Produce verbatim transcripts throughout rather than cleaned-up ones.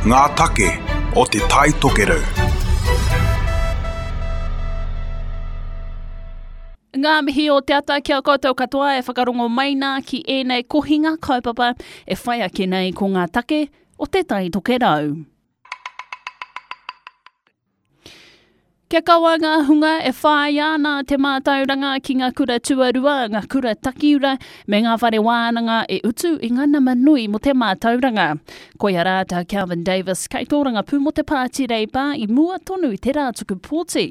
Ngā take o Te Tai Tokerau. Ngā mihi o te ata kia koutou katoa e whakarongo mai nā ki ēnei kohinga kaupapa e whai ake nei ko ngā take o Te Tai Tokerau. Kia kaua ngā hunga e whāia ana te mātauranga ki ngā kura tuarua, ngā kura takiura me ngā whare wānanga e utu i ngā nama nui mo te mātauranga. Koia rā tā Kelvin Davis kei tōrangapū mo te Pāti Reipa i mua tonu i te rā tuku pōti.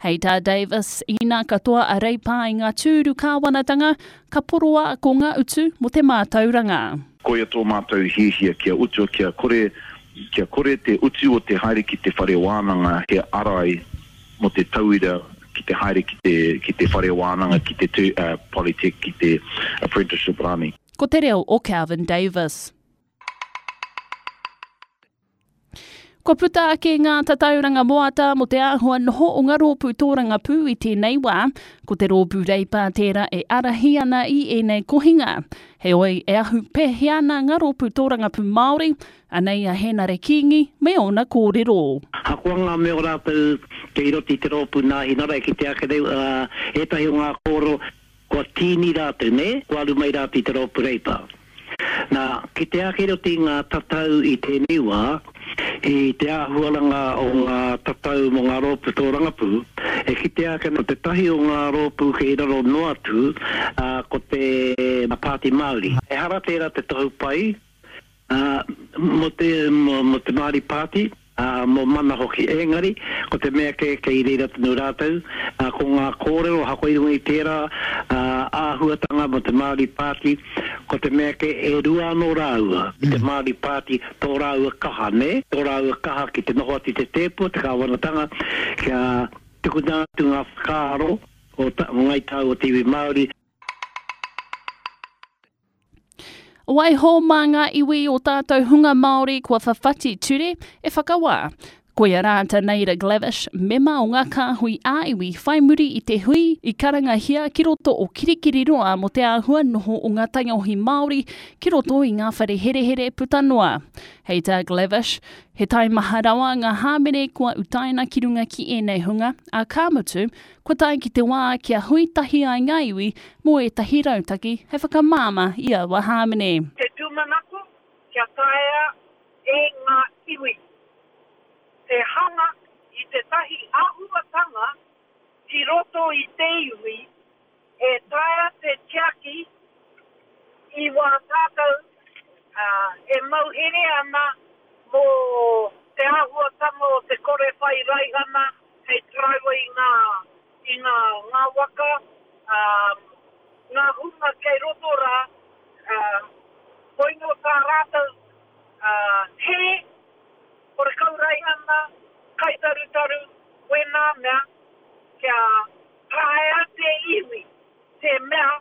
Hei tā Davis, inā katoa a Reipa i ngā tūru kāwanatanga, ka poroa ko ngā utu mo te mātauranga. Koia tō mātou hiahia kia utua, kia kore, kia kore te utu o te haere ki te whare wānanga he arai mo te tauira ki te haere ki te, ki te whare wānanga, ki te tu, uh, polytech, ki te apprenticeship rānei. Ko te reo o Kelvin Davis. Kua puta ake ngā tatauranga moata mo te āhua noho o ngā rōpū tōrangapū i tēnei wā, ko te rōpū Reipa tērā e arahi ana i ēnei kohinga. Heoi, e ahu pēhea ana ngā rōpū tōrangapū Māori, anei a Henare Kingi me ōna kōrero. Hakoa ngā mea o rātou kei roto i te rōpū nāhinara e ki te ake nei, uh, ētahi o ngā kōrero kua tīni rātou, ne? Kua aru mai rātou i te rōpū Reipa. Nā, ki te ake roto i ngā tatau i tēnei wā, i te āhuaranga o ngā tatau mō ngā rōpū tōrangapū, e kitea ake ko te tahi o ngā rōpū kei raro noa atu, uh, ko te Pāti Māori. Ehara tērā te tohu pai, uh, mō te, mō, mō te Māori Party, uh, mō mana hoki. Engari, ko te mea ke kei reira tonu rātou, uh, ko ngā kōrero hako i runga i tērā uh, āhuatanga mō te Māori Party, ko te mea ke e rua anō rāua, mm. te Māori Party tō rāua kaha, ne? Tō rāua kaha ki te noho atu i te tēpu, te kāwanatanga, kia tukuna atu ngā whakaaro o, ta, o ngai tau o te iwi Māori. Waiho mā ngā iwi o tātou hunga Māori kua whawhati ture e whakawā. Koia rā tā Naida Glavish, mema o ngā kāhui ā-iwi whai muri i te hui i karangahia ki roto o Kirikiriroa mō te āhua noho o ngā taiohi Māori ki roto i ngā whare herehere puta noa. Hei tā Glavish, he taimaha rawa ngā hāmene kua utaina ki runga ki ēnei hunga, a ka mutu, kua tae ki te wā kia hui tahi ai ngā iwi mō ētahi rautaki hei whakamāmā i aua hāmene. Te tūmanako kia taea e ngā iwi te hanga i tētahi āhuatanga ki roto i te iwi e taea te tiaki i wā tātou uh, e mauhere ana mō te āhuatanga o te kore whai raihana hei taraiwa i ngā, i ngā, ngā waka, um, ngā hunga kei roto rā, uh, koino tā rātou uh, he, kore kau raihana, kaitarutaru, wēnā mea, kia taea te iwi, te mea,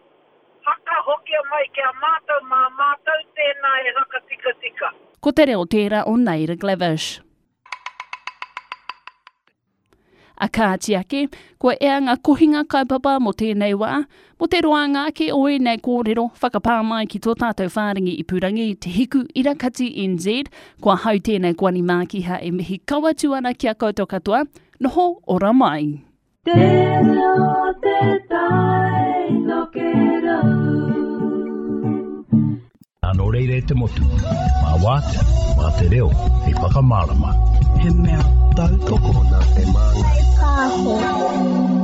hakahokia mai kia mātou mā mātou tēnā e hakatikatika. Ko te reo tērā o Naida Glavish. A kāti ake, kua ea ngā kohinga kaupapa mō tēnei wā, mō te roanga ake o ēnei kōrero whakapā mai ki tō tātou whārangi ipurangi Te Hiku Irakati N Z, kua hau tēnei Kwani Mākiha e mihi kau atu ana ki a koutou katoa, noho ora mai. Te reo te tai tokerau. Nā nō reira e te motu, mā wātea, mā te reo, hei whakamārama. He mea tautoko nā te māngai. Pāho.